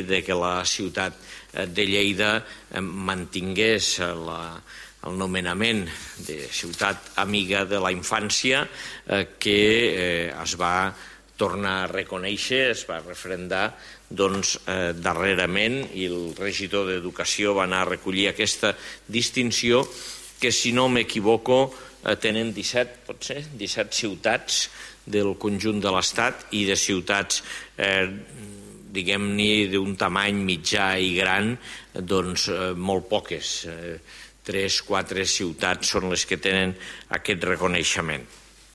de que la ciutat de Lleida mantingués el nomenament de ciutat amiga de la infància, que es va tornar a reconèixer, es va referendar darrerament, i el regidor d'Educació va anar a recollir aquesta distinció, que, si no m'equivoco, tenen 17 ciutats del conjunt de l'Estat, i de ciutats, diguem-ne, d'un tamany mitjà i gran, doncs molt poques. 3-4 ciutats són les que tenen aquest reconeixement.